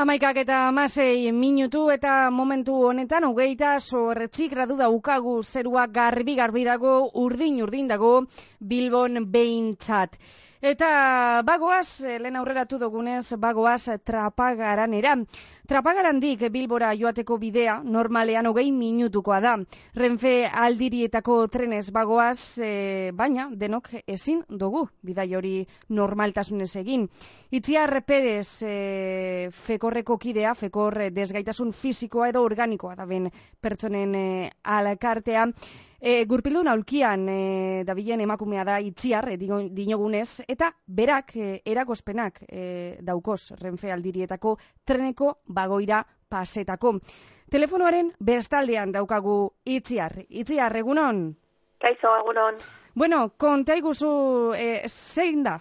11:16 eta momentu honetan 28 gradu daukagu, zerua garbi dago, urdin dago Bilbon behintzat. Eta bagoaz, lehen aurreratu dugunez, bagoaz Trapagaranera. Trapagarandik Bilbora joateko bidea normalean 20 minutukoa da. Renfe Aldirietako trenez bagoaz, baina denok ezin dugu bidai hori normaltasunez egin. Itziar Perez, Fekorreko kidea, Fekor desgaitasun fisikoa edo organikoa da ben pertsonen alkartea. Gurpildun aulkian dabilen emakumea da Itziar, dinogunez, eta berak eragozpenak daukoz Renfe Aldirietako treneko bagoira pasetako. Telefonoaren bestaldean daukagu Itziar. Itziar, egunon? Kaixo, egunon. Bueno, konta iguzu zein da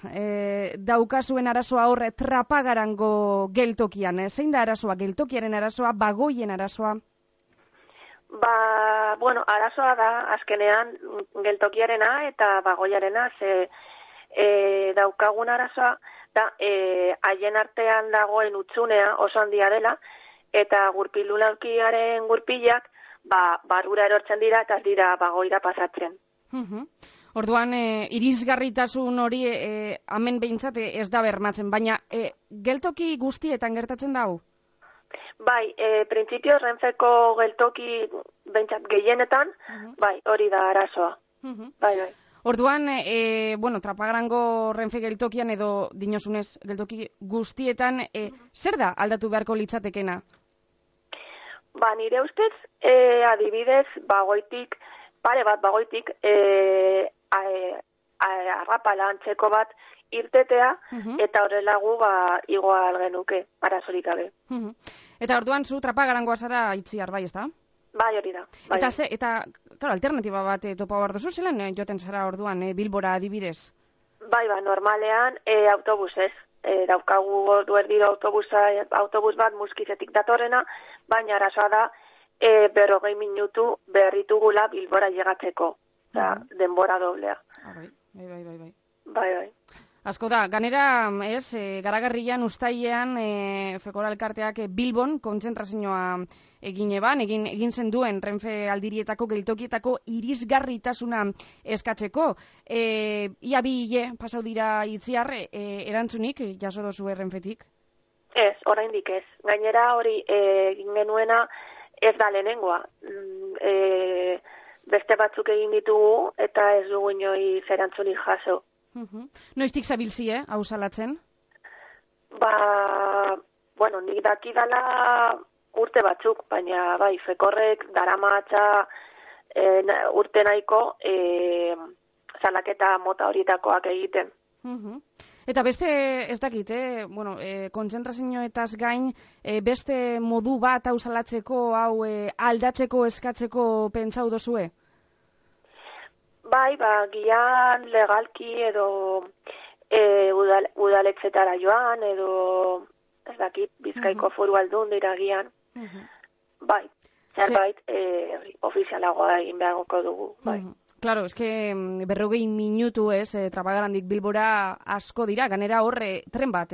daukazuen arazoa hor Trapagarango geltokian? Zein da arazoa, geltokiaren arazoa, bagoien arazoa? Arazoa da, azkenean, geltokiarena eta bagoiarena, daukagun arazoa, da, haien artean dagoen utxunea oso handia dela, eta gurpildun aulkiaren gurpilak, barrura erortzen dira eta ez dira bagoira pasatzen. Orduan, irisgarritasun hori hemen behintzat ez da bermatzen, baina geltoki guztietan gertatzen dago? Bai, printzipioz Renfeko geltoki behintzat gehienetan, bai, hori da arazoa. Bai. Orduan, Trapagarango Renfe geltokian edo dinosunez geltoki guztietan, zer da aldatu beharko litzatekena? Nire ustez, adibidez, pare bat bagoitik, arrapala antzeko bat irtetea, eta horrela gu igual genuke, arazorik gabe. Eta orduan zu Trapagarangoa zara Itziar, bai, ez da? Bai, hori da. Bai. Eta alternatiba bat topa behar duzu, zelan joten zara orduan Bilbora adibidez? Bai, normalean autobusez. Daukagu ordu erdiro autobus bat Muskizetik datorrena, baina arazoa da 40 minutu berritugula Bilbora llegatzeko. Denbora doblea. Bai. Asko da, ganera, Garagarrian, Uztailean, Fekor alkarteak Bilbon kontzentrazioa egin zen duen Renfe Aldirietako geltokietako irisgarritasuna eskatzeko. Ia bi hile pasau dira Itziar, erantzunik jaso dozu Renfetik? Ez, oraindik ez. Gainera hori egin genuena ez da lehenengoa. Beste batzuk egin ditugu eta ez dugu inoiz erantzunik jaso. Noiztik zabilzi, hau salatzen? Nik dakidala urte batzuk, baina bai, Fekorrek daramatza urte nahiko salaketa mota horietakoak egiten. Eta beste, ez dakit, kontzentrazioetaz gain, beste modu bat hau salatzeko, hau aldatzeko, eskatzeko pentsau dozue? Bai, gian legalki edo udaletxetara joan, edo ez dakit, Bizkaiko Foru Aldundira gian. Bai, zerbait ofizialagoa egin beharko dugu, bai. Claro, eske 40 minutu Trapagarandik Bilbora asko dira, ganera horre tren bat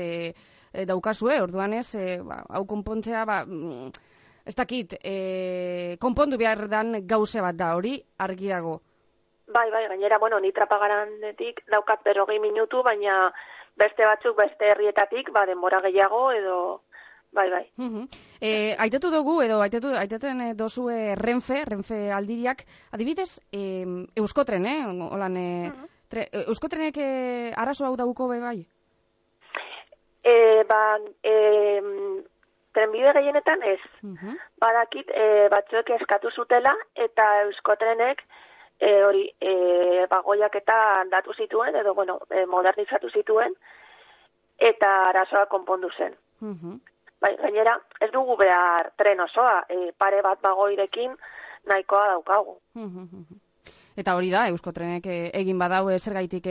daukazue, orduan hau konpontzea, ez dakit, konpondu behar dan gauze bat da, hori argi dago. Bai, gainera, ni Trapagarandetik daukat 40 minutu, baina beste batzuk, beste herrietatik, denbora gehiago, edo, bai. Aitatu dugu, edo aitaten dozue Renfe Aldiriak, adibidez, Euskotren, Euskotrenek arazo hau dauko bai? Trenbide gehienetan ez. Badakit, batzuek eskatu zutela, eta Euskotrenek bagoiak eta aldatu zituen, edo, modernizatu zituen, eta arazoa konpondu zen. Bai, gainera, ez dugu behar tren osoa, pare bat bagoirekin nahikoa daukagu. Eta hori da, Euskotrenek egin badau zergaitik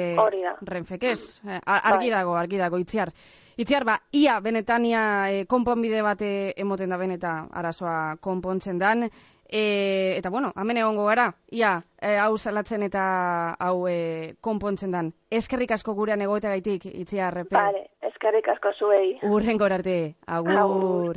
Renfek ez. Argi dago, Itziar. Itziar, ia benetania konponbide bat emoten da beneta arazoa konpontzen dan, eta hemen egongo gara, ia, hau salatzen eta hau konpontzen dan. Eskerrik asko gurean egoteagaitik, Itziar. Vale, Eskerrik asko zuei. Urrengor arte. Agur.